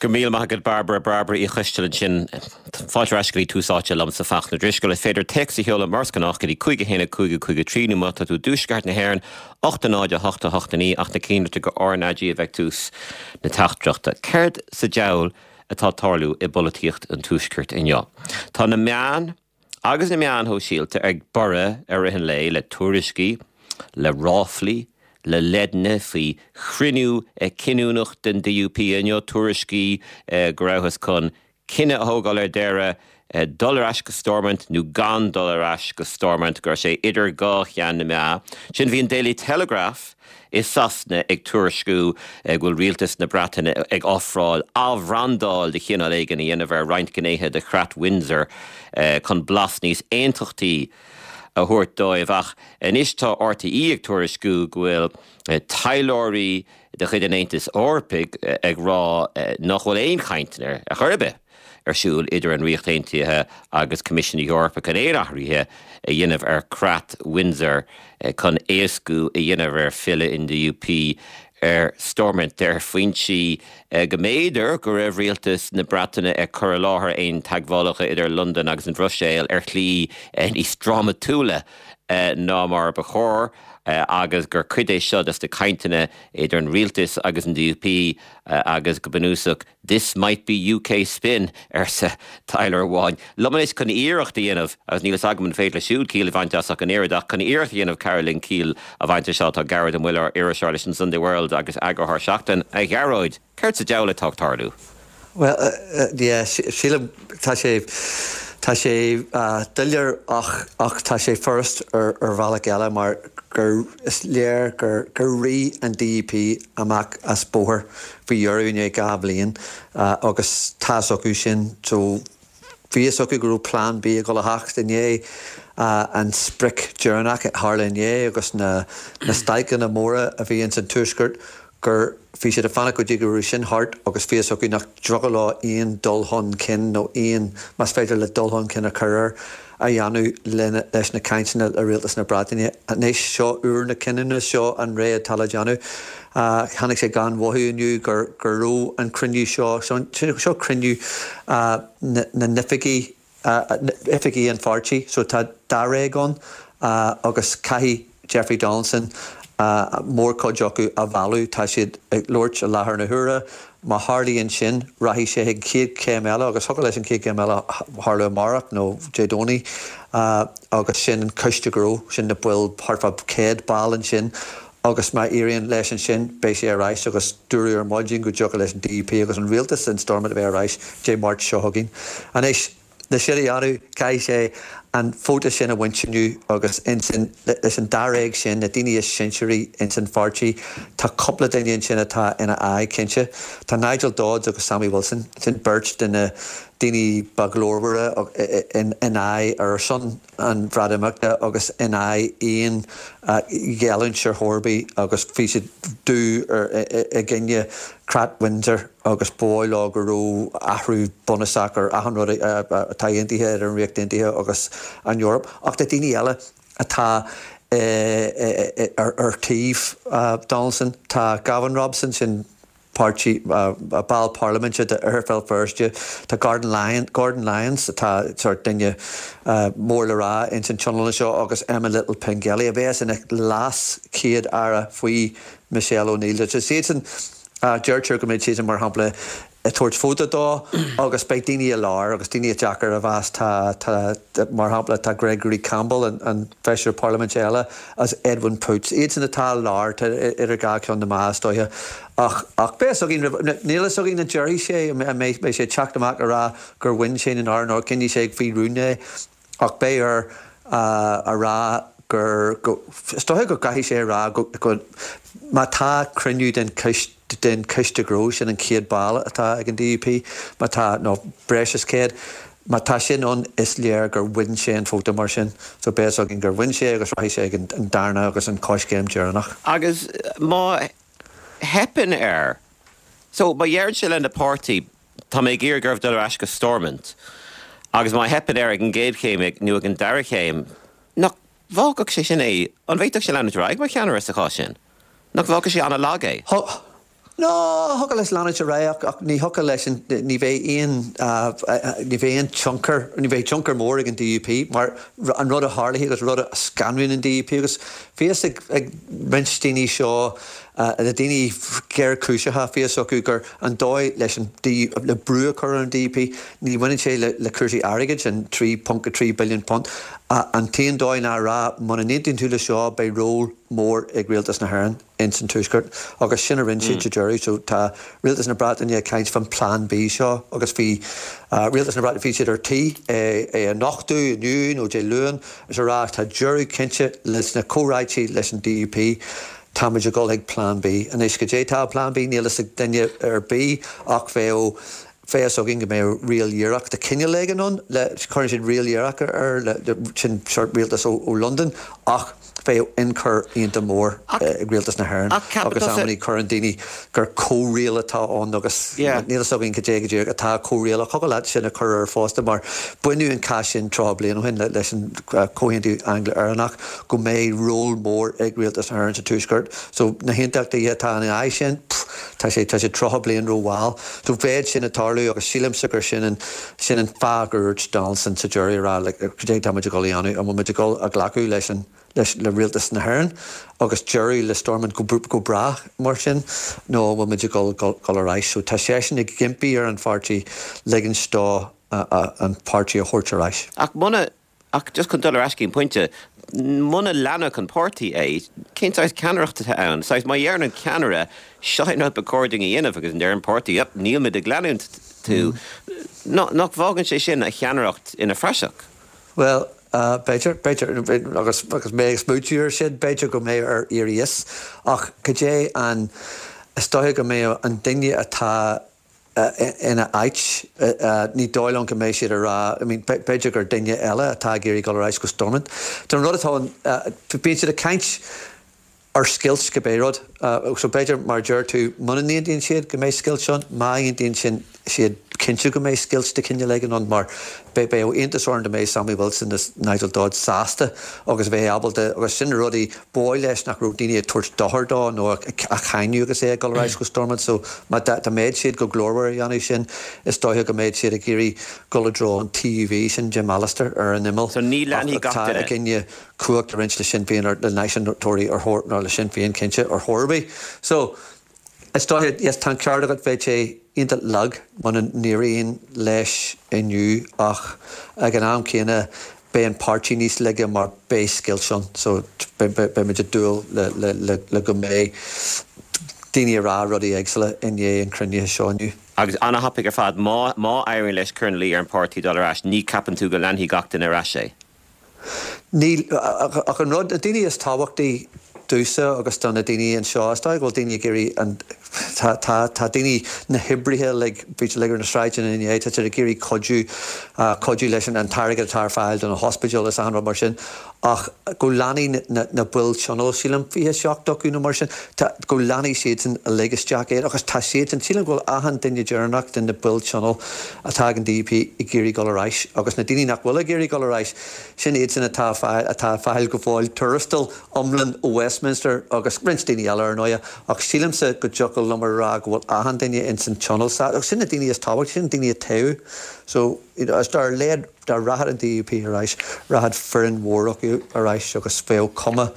Go raibh míle maith agat Bairbre, Bairbre Uí Choisteala ansin. Fáilte ar ais go dtí Tús Áite liomsa Fachtna Drisceoil. Is féidir téacs a sheoladh mar is gnách go dtí 5 1 5 5 3 nó má tá tú i dtuaisceart na hÉireann, 8 0 8 8 9 ach ná cinnte gur RnaG a bheidh ag tús na teachtaireachta. Céard sa diabhal atá ag tarlú i bpolaitíocht an tuaiscirt inniu? Tá na meáin agus na meáin shóisialta ag borradh i rith an lae le tuairiscí, le ráflaí, le leideanna faoi chruinniú cinniúnach den DUP inniu, tuairiscí go rabhthas chun cinneadh a thógáil ar deireadh dul ar ais go Stormont nó gan dul ar ais go Stormont, go raibh sé idir dhá cheann na meá. Ansin bhí an Daily Telegraph i Sasana ag tuairisciú go bhfuil rialtas na Breataine ag ofráil athbhrandáil de chineál éigin a dhéanamh ar roinnt gnéithe de Chreat Windsor chun blas níos aontachtaí a thabhairt dóibh. Ach anois tá RTÉ ag tuairisciú go bhfuil taidhleoirí de chuid an Aontais Eorpaigh ag rá nach bhfuil aon chainteanna ar chor ar bith ar siúl idir an Ríocht Aontaithe agus Coimisiún na hEorpa chun aon athruithe a dhéanamh ar Chreat Windsor chun éascú a dhéanamh ar filleadh an DUP ar Stormont. Deir foinsí go mb'fhéidir go raibh rialtas na Breataine ag cur i láthair aon teagmhálacha idir Londain agus an Bhruiséil ar shlí níos drámatúla ná mar ba chóir agus gur cuid é seo des na cainteanna idir an rialtas agus an DUP agus go bunúsach This might be UK spin, arsa taidhleoir amháin. Liom anois chun iarracht a dhéanamh, agus níl fhios agam an féidir leis siúd ciall a bhaint as ach an oiread, ach chun iarracht a dhéanamh cabhrú linn ciall a bhaint as seo tá Gearóid Ó Muilleoir, iriseoir leis an Sunday World agus eagarthóir Seachtain. A Ghearóid, céard sa diabhal atá ag tarlú? Bhuel, yeah, sílim, tá sé, tá sé doiléir ach, ach tá sé furast ar, ar bhealach eile mar gur, is léir gur, gur rith an DUP amach as bóthar faoi dheireadh i ndiaidh 2 bhliain agus tá fhios acu sin so bhí fhios acu go raibh plean B ag dul a theacht i ndiaidh an sprioc deireanach a tharla inné agus na na stailceanna móra a bhí ins an tuaisceart gur bhí siad ag fanacht go dtí go raibh sin thart agus bhí fhios acu nach dtiocfadh leo aon dul chun cinn nó aon, más féidir le dul chun cinn a chur air, a dhéanamh leis na cainteanna le Rialtas na Breataine. Anois, seo uair na cinniúna, seo an ré atá le déanamh. Tháinig sé gan mhothú inniu go raibh an cruinniú seo, seo cruinniú na n-oifigí, oifigí an pháirtí, so tá dáréag ann agus caithfidh Jeffrey Donaldson mórchuid acu a mhealladh. Tá siad ag labhairt i láthair na huaire. Má tharlaíonn sin, rachaidh sé chuig an chéad chéim eile agus thiocfadh leis an chéad chéim eile tharlú amárach nó Dé Domhnaigh agus sin an coiste gnó, sin na baill, thart fá 100 ball ansin agus má éiríonn leis ansin beidh sé ar ais agus dúradh ar maidin go dtiocfadh leis an DUP agus an rialtas in Stormont a bheith ar ais Dé Máirt seo chugainn. Anois. Le sin a dhéanamh, caithfidh sé an vóta sin a bhaint inniu agus ansin leis an dáréag sin, na daoine is sinsearaí ins an pháirtí, tá cúpla duine ansin atá ina aghaidh, cinnte. Tá Nigel Dodds agus Sammy Wilson, sin beirt de na daoine ba ghlórmhaire in aghaidh, ar son an Bhreatimeachta agus in aghaidh aon ghéilliúint ar chor ar bith agus bhí siad dubh i gcoinne Creat Windsor agus ba dhóigh leo go raibh athrú bunúsach ar achan rud atá aontaithe idir an Ríocht Aontaithe agus an Eoraip. Ach tá daoine eile atá ar taobh Donaldson. Tá Gavin Robson, sin páirtí, ball parlaiminte d'Oirthear Bhéal Feirste, tá Gordon Lyon, Gordon Lyons atá sórt duine mór le rá ins an tionól seo agus Emma Little-Pengelly a bheas ina leas-chéad-aire faoi Michelle O'Neill. So siadsan, deirtear go mbeidh siadsan mar shampla ag tabhairt vóta dó agus beidh daoine i lár agus daoine deacair a mheas. Tá, tá, mar shampla tá Gregory Campbell, an feisire parlaiminte eile, agus Edwin Poots, iadsan atá i lár, tá idir dhá cheann na meá is dóiche. Ach, ach beidh fhios againn roimh, níl fhios againn an déarfaidh sé, an mbeidh sé ag teacht amach a rá gur bhain sé nó nár, nó coinneoidh sé faoi rún é. Ach beidh air a rá gur, go, is dóiche go gcaithfidh sé a rá go, go, má tá cruinniú den choiste, den choiste gnó, sin an 100 ball atá ag an DUP, má tá, nó breis is 100, má tá sin ann is léir gur bhain sé an vóta mar sin. So beidh fhios againn gur bhain sé agus rachaidh sé ag an darna agus an coiscéim deireanach. Agus má theipeann air, so má dheireann sé lena pháirtí, Tá mé ag iarraidh oraibh dul ar ais go Stormont agus má theipeann air ag an gcéad chéim nó ag an dara chéim, nach bhfágfadh sé sin é, an bhféadfadh sé leanúint ar aghaidh mar cheannaire sa chás sin? Nach bhfágfadh sé an-lag é? No, thiocfadh leis leanúint ar aghaidh ach ní thiocfadh leis an, ní bheidh aon, ní bheidh aon tionchar, ní bheidh tionchar mór ag an DUP mar an rud a tharlaigh agus rud a scanraíonn an DUP agus bhí fhios ag, ag roinnt daoine seo, na daoine géarchúiseacha, bhí fhios acu gur an dóigh leis an, le brú a chur ar an DUP, ní bhaineann sé le, le cúrsaí airgid, an £3.3 billion, an t-aon dóigh ná a rá muna n-aontaíonn tú le seo beidh ról mór ag Rialtas na hÉireann. ins an Tuaisceart agus sin a rinne siad sa deireadh. So tá Rialtas na Breataine ag caint fán Plan B seo agus bhí Rialtas na Breataine, bhí siad ar tí é a nochtadh inniu nó Dé Luain is a rá tá deireadh cinnte leis na comhráití leis an DUP, táimid ag dul chuig Plan B. Anois goidé tá i Plan B níl fhios ag duine ar bith ach bheadh fhios againn go mbeadh riail dhíreach de chineál éigin ann le, cuireann siad riail dhíreach air le, sin sórt rialtas ó Londain ach bheadh ionchur iontach mór ag rialtas na hÉireann agus amannaí cuireann daoine gur comhriail atá ann agus níl fhios againn cad é go díreach atá comhriail ach thiocfadh leat sin a chur air fosta mar baineadh an cath sin 30 bliain ó shin leis an Comhaontú Angla-Éireannach go mbeidh ról mór ag rialtas na hÉireann sa Tuaisceart so na haontachtaithe atá ina aghaidh sin tá sé tá sé 30 bliain rómhall so bheadh sin ag tarlú agus sílimse gur sin an sin an fáth gur dhúirt Donaldson sa deireadh a rá like cad é tá muid ag dul a dhéanamh an bhfuil muid ag dul a ghlacadh leis an leis le rialtas na hÉireann agus deireadh le Stormont go go brách mar sin nó an bhfuil muid ag dul dul ar ais so tá seisean ag impí ar an pháirtí ligint dó an páirtí a thabhairt ar ais. Ach muna Ach just chun dul ar ais go dtí an pointe, muna leanfadh an páirtí é, cén saghas ceannaireacht atá ann? Saghas, má dheireann an ceannaire, seo é an rud ba chóir dúinn a dhéanamh agus an deireann an páirtí, yep, nílmid ag leanúint tú, nach bhfágann sé sin a cheannaireacht ina phraiseach? Bhuel, b'fhéidir, b'fhéidir, agus agus mé ag smaoitiú air sin, b'fhéidir go mbeidh air éirí as, ach cad é an, is dóiche go mbeadh an duine atá ina áit. Ní dóigh liom go mbeidh siad ag rá, I mean, b'fhéidir gur duine eile atá ag iarraidh dul ar ais go Stormont. Tá an rud atá ann, bíonn siad ag caint ar scoilt cibé rud. So b'fhéidir, mar a deir tú, muna n-aontaíonn siad go mbeidh scoilt ann, má aontaíonn siad, cinnte go mbeidh scoilt de chineál éigin ann mar beidh iontas orm dá mbeadh Sammy Wilson is Nigel Dodds sásta agus a bheith ábalta agus sin na rudaí ba dhóigh leis nach raibh daoine ag tabhairt dochar dó nó á cháineadh agus é ag dul ar ais go Stormont so má dá mbeadh siad go glórmhar a dhéanamh sin is dóiche go mbeadh siad ag iarraidh dul i dtreo an TUV sin Jim Allister ar an imeall So ní leanfaidh gach duine. atá i gcoinne cumhacht a roinnt le Sinn Féin ar le náisiúntóirí ar chor nó le Sinn Féin cinnte ar chor ar bith so Is dóiche, yes, tá an ceart agat, bheadh sé iontach lag muna n-éiríonn leis inniu ach ag an am céanna beidh an páirtí níos laige mar beidh scoilt ann so beidh muid ag dúil le go mbeidh daoine ag rá rudaí éagsúla i ndiaidh an chruinnithe seo inniu. Agus ana-thapaidh ar fad, má má éiríonn leis cur ina luí ar an páirtí dul ar ais, ní ceapann tú go leanfaidh gach duine ar ais é? Níl, ach an rud, na daoine is tábhachtaí domhsa agus do na daoine anseo, is dóigh go bhfuil daoine ag iarraidh an, tá, tá, tá daoine, na hoibrithe uilig, bhí siad uilig ar na sráideanna inné, tá siad ag iarraidh cuidiú, cuidiú leis an, an t-airgead atá ar fáil do na hospidéil is achan rud mar sin, ach go leanfaidh na, na baill tionóil, sílim, 27 acu nó mar sin, tá, go leanfaidh siadsan uilig isteach é agus tá siadsan, sílim go bhfuil achan duine deireanach de na baill tionóil atá ag an DUP ag iarraidh dul ar ais agus na daoine nach bhfuil ag iarraidh dul ar ais, sin iadsan atá atá ag fáil go fóill tuarastal iomlán ó Westminster agus roinnt daoine eile ar ndóighe ach sílimse go dtiocfadh liom a rá go bhfuil achan duine ins an tionól sa agus sin na daoine is tábhachtaí, sin na daoine a toghadh so you know is dar leat dá rachadh an DUP ar ais rachadh foireann mhór acu ar ais agus bheadh cuma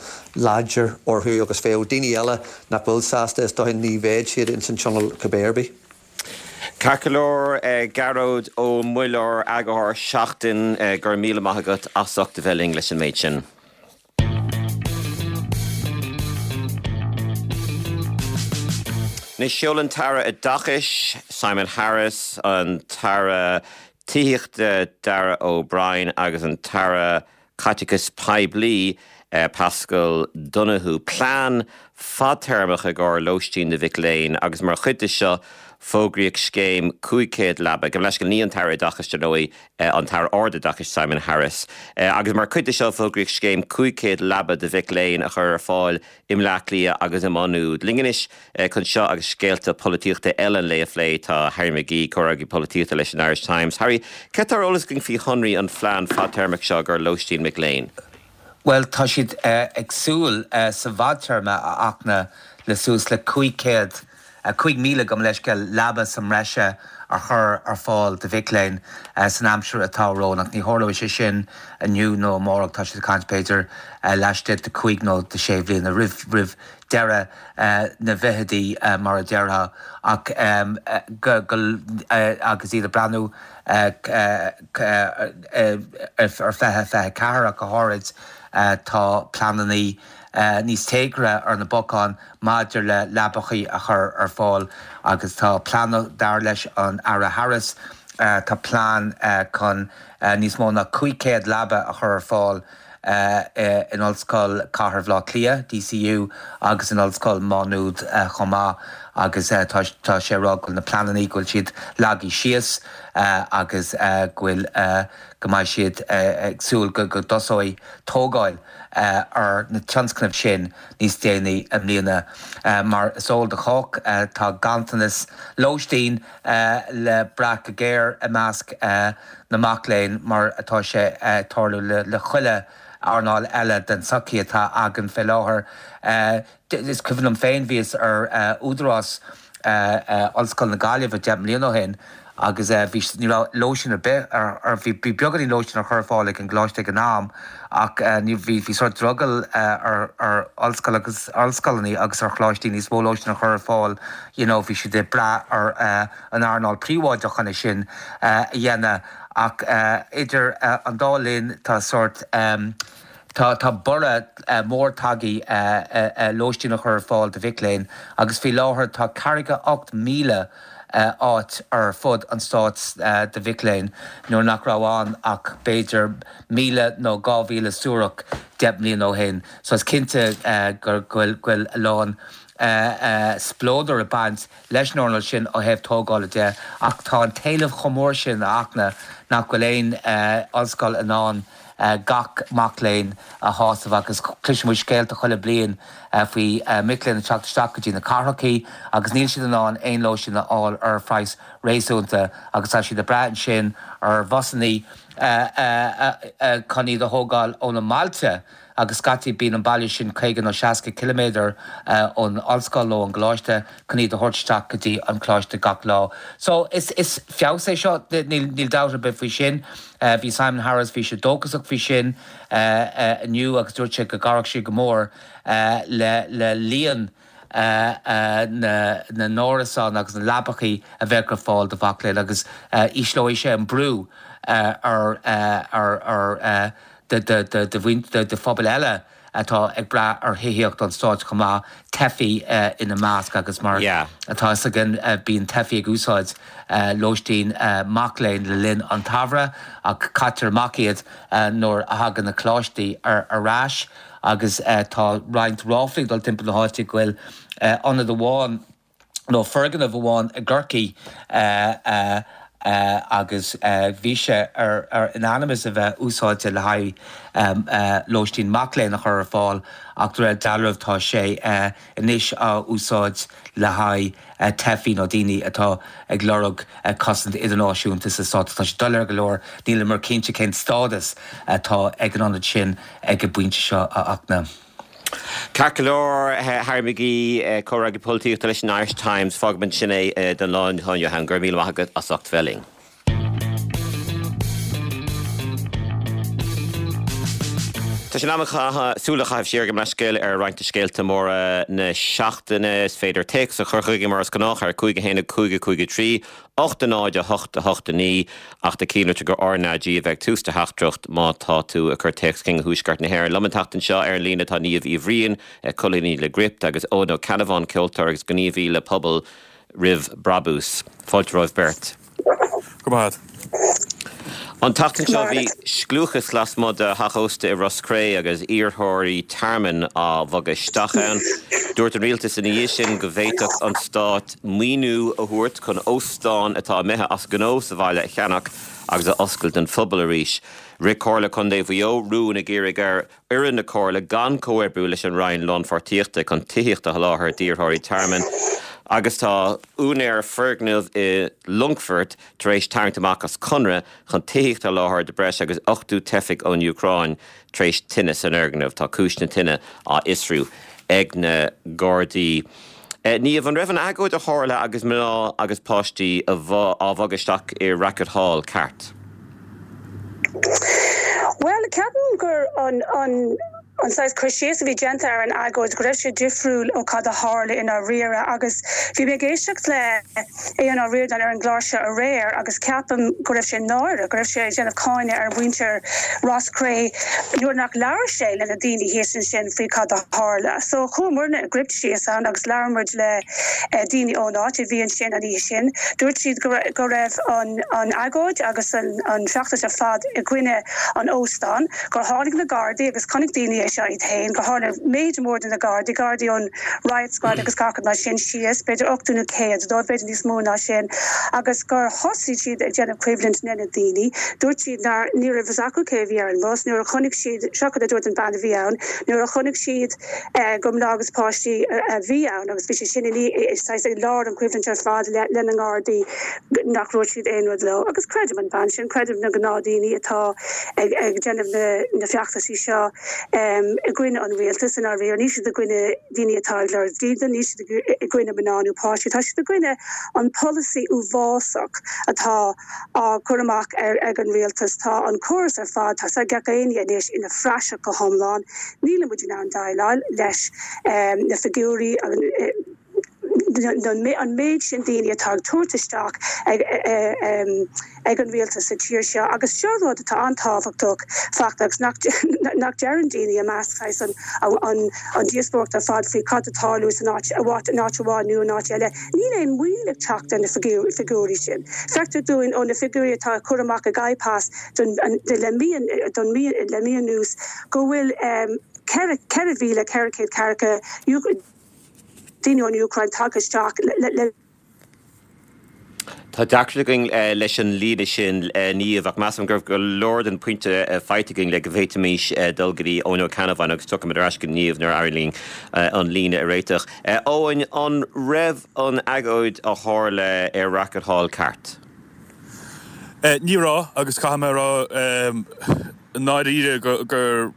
láidir orthu agus bheadh daoine eile nach bhfuil sásta is dóiche ní bheadh siad ins an tionól cibé ar bith. Ceart go leor, Gearóid Ó Muilleoir, Eagarthóir Seachtain, go raibh míle maith agat as ucht a bheith linn leis an méid sin. Anois, sheol an tAire Oideachais, Simon Harris, an tAire Tithíochta, Darragh O'Brien agus an tAire Caiteachais Poiblí, Paschal Donohoe, plean fadtéarmach i gcomhair lóistín do mhic léinn agus mar chuid de seo fógraíodh scéim 500 leaba. Gabh mo leithscéal, ní an tAire Oideachais, dar ndóigh, an tAire Ardoideachais Simon Harris. Agus mar chuid de seo fógraíodh scéim 500 leaba do mhic léinn a chur ar fáil i mBleá Cliath agus i Má Nuad. Linn anois chun seo agus scéalta polaitíochta eile an lae a phlé tá Harry McGee, comhfhreagraí polaitíochta leis an Irish Times. Harry, céard atá ar eolas againn faoi shonraí an phlean fadtéarmach seo i gcomhair lóistín mic léinn? Bhuel, tá siad ag súil sa bhfadtéarma a fháil le suas le 500. 5,000, gabh mo leithscéal, leaba sa mbreise a chur ar fáil do mhic léinn san aimsir atá romhainn. Ach ní tharlóidh sé sin inniu nó amárach, tá siad ag caint b'fhéidir laistigh de chúig nó de shé bhliana, roimh roimh deireadh na bhfichidí mar a déarfá. Ach go go agus iad ag breathnú ar 2024 ach go háirid, tá pleananna níos téagartha ar na bacáin maidir le leabachaí a chur ar fáil agus tá plean, dar leis an Aire Harris, tá plean chun níos mó ná 500 leaba a chur ar fáil in Ollscoil Chathair Bhaile Átha Cliath, DCU, agus in Ollscoil Mhá Nuad chomh maith agus tá sé ag rá go bhfuil na pleananna, go bhfuil siad leagtha síos agus go bhfuil, go mbeidh siad ag súil go dtosóidh tógáil ar na tionscnaimh sin níos déanaí i mbliana. Mar is eol do chách, tá ganntanas lóistín le brath go géar i measc na mac léinn, mar atá sé ag tarlú le chuile earnáil eile den tsochaí atá againn fé láthair. Is cuimhin liom féin, bhíos ar údarás Ollscoil na Gaillimhe 10 mbliana ó shin agus bhí, ní raibh lóistín ar bith ar, bhí beagáinín lóistín á chur ar fáil ag an gcoláiste ag an am ach ní, bhí, bhí sórt drogall ar, ar ollscoil agus, ollscoileanna agus ar choláistí níos mó lóistín a chur ar fáil, you know, bhí siad ag brath ar an earnáil príobháideach chun é sin a dhéanamh ach idir an dá linn tá sórt. Tá tá borradh mór tagtha lóistín a chur ar fáil do mhic léinn agus faoi láthair tá 48,000 áit ar fud an stáit do mhic léinn nuair nach raibh ann ach b'fhéidir 1,000 nó 2,000 suarach 10 mbliana ó shin. So is cinnte go bhfuil go bhfuil a lán spleodair ag baint leis an earnáil sin ó thaobh tógála de ach tá an t-éileamh chomh mór sin a Fhachtna nach bhfuil aon ollscoil in ann gach mac léinn a shásamh agus cloiseann muid scéalta chuile bliain faoi mic léinn ag teacht isteach go dtí na cathrachaí agus níl siad in ann aon lóistín a fháil ar phraghas réasúnta agus tá siad ag brath ansin ar bhusannaí chun iad a thógáil óna mbailte agus scaití bíonn an baile sin 50 nó 60 ciliméadar ón ollscoil nó ón gcoláiste chun iad a thabhairt isteach go dtí an coláiste gach lá. So is feabhas é seo, níl dabht ar bith faoi sin. Bhí Simon Harris, bhí sé dóchasach faoi sin inniu agus dúirt sé go gcabhródh sé go mór le líon na n-árasán agus na leabachaí a bheadh ar fáil do mhac léinn agus ísleoidh sé an brú ar do phobail eile atá ag brath ar thithíocht an stáit chomh maith, teifigh ina measc agus mar atá fhios againn bíonn teifigh ag úsáid lóistín mac léinn le linn an tsamhraidh ach caitear amach iad nuair a thagann na coláistí ar ais agus tá roinnt ráflaí ag dul timpeall na háite go bhfuil ionad amháin nó foirgneamh amháin i gCorcaigh agus bhí sé ar in ainm is a bheith úsáidte le haghaidh lóistín mac léinn a chur ar fáil ach de réir dealraimh tá sé anois á úsáid le haghaidh teifigh nó daoine atá ag lorg cosaint idirnáisiúnta sa stát. Tá sé doiléir go leor, níleamar cinnte cén stádas atá ag an ionad sin ag an bpointe seo, a Fhachtna. Ceart go leor, Harry McGee, comhfhreagraí polaitíochta leis an Irish Times, fágfaidh muid ansin é don lá inniu. Go raibh míle maith agat as ucht bheith linn. Tá sé in am súil a chaitheamh siar gabh mo leithscéal ar roinnt de scéalta móra na seachtaine. Is féidir téacs a chur chugainn mar is gnách ar 5 1 5 5 3 8 0 8 8 9 Ach tá cinnte gur RnaG a bheidh ag tús do theachtaireacht má tá tú ag cur téacs chuig Thuaisceart na hÉireann. Liom an tseachtain seo ar an líne tá Niamh Uí Bhriain, colúnaí le Gript, agus Eoin Ó Ceannabháin, ceoltóir agus gníomhaí le Pobal Roimh Brabús. Fáilte romhaibh beirt. Go raibh maith agat. An tseachtain seo bhí scliúchas lasmuigh de theach ósta i Ros Cré agus iarrthóirí tearmainn á bhogadh isteach ann. Dúirt an rialtas ina dhiaidh sin go bhféadfadh an stát maoiniú a thabhairt chun óstán atá imithe as gnó sa bhaile a cheannach agus a oscailt don phobal arís. Rith Comhairle Contae Mhaigh Eo rún ag iarraidh ar fhoireann na Comhairle gan comhoibriú leis an Roinn Lánpháirtíochta chun tithíocht a sholáthar d'iarrthóirí tearmainn agus tá úinéir foirgneamh i Longfort tar éis tarraingt amach as conradh chun tithíocht a sholáthar do breis agus 80 teifigh ón Úcráin tar éis tine san fhoirgneamh. Tá cúis na tine á fhiosrú ag na Gardaí. Niamh, an raibh an agóid a tharla agus mná agus páistí á bhogadh isteach i Racket Hall ceart? Bhuel, ceapaim gur an an an saghas cur síos a bhí déanta ar an agóid go raibh sé difriúil ó cad a tharla i ndáiríre agus bhí mé ag éisteacht le Aodhán Ó Ríordáin ar an gclár seo aréir agus ceapaim go raibh sé náireach, go raibh sé ag déanamh cáineadh ar mhuintir Ros Cré nuair nach labhair sé le na daoine thíos ansin faoi cad a tharla. So chuaigh muidne i gCript síos ann agus labhair muid le daoine ón áit a bhí ansin an oíche sin. Dúirt siad go raibh an agóid agus an feachtas ar fad i gcoinne an óstáin, gur tháinig na Gardaí agus chonaic daoine é seo iad féin, gur tháinig méid mór de na Gardaí, Gardaí ón Riot Squad agus gach rud mar sin síos, b'fhéidir 80 nó 100 dóibh, b'fhéidir níos mó ná sin, agus gur thosaigh siad ag déanamh coimhlint le na daoine. Dúirt siad nár, ní raibh fhios acu cé a bhí ar an mbus. Nuair a chonaic siad, seo cad a dúirt an bean a bhí ann, nuair a chonaic siad gur mná agus páistí a bhí ann agus bhí sé sin i saghas i lár an choimhlint ar fad le na nGardaí nach ndúirt siad aon rud leo. Agus creidim an bhean sin, creidim na gnáthdaoine atá ag déanamh na feachtaisí seo i gcoinne an rialtais i ndáiríre. Níl siad i gcoinne daoine atá ag lorg dídean, níl siad i gcoinne mná nó páistí, tá siad i gcoinne an polasaí uafásach atá á chur amach ag an rialtas. Tá an córas ar fad, tá sé ag gach éinne anois, ina phraiseach go hiomlán. Níl muid in ann déileáil leis na figiúirí, an méid sin daoine atá ag tabhairt isteach ag an rialtas sa tír seo. Agus seo rud atá an-tábhachtach, Fachtna, agus nach deireann daoine i measc saghas an díospóireacht ar fad faoi cad atá ag tarlú san áit, in áit amháin nó in áit eile. Níl aon mhoill ag teacht ar na figiúirí sin. Feictear dúinn ó na figiúirí atá á cur amach ag IPAS le mí le mí anuas go bhfuil 4,400 ceathracha daoine ón Úcráin tagtha isteach le Tá deacracht againn leis an líne sin, Niamh, ach measaim go raibh go leor den phointe faighte againn le go bhféadfaimis dul go dtí Eoin Ó Ceannabháin agus tiocfaimid ar ais go Niamh nuair a éiríonn linn an líne a réiteach. Eoin, an raibh an agóid a tharla ar Racket Hall ceart? Ní raibh, agus caithfidh mé a rá i ndáiríre gur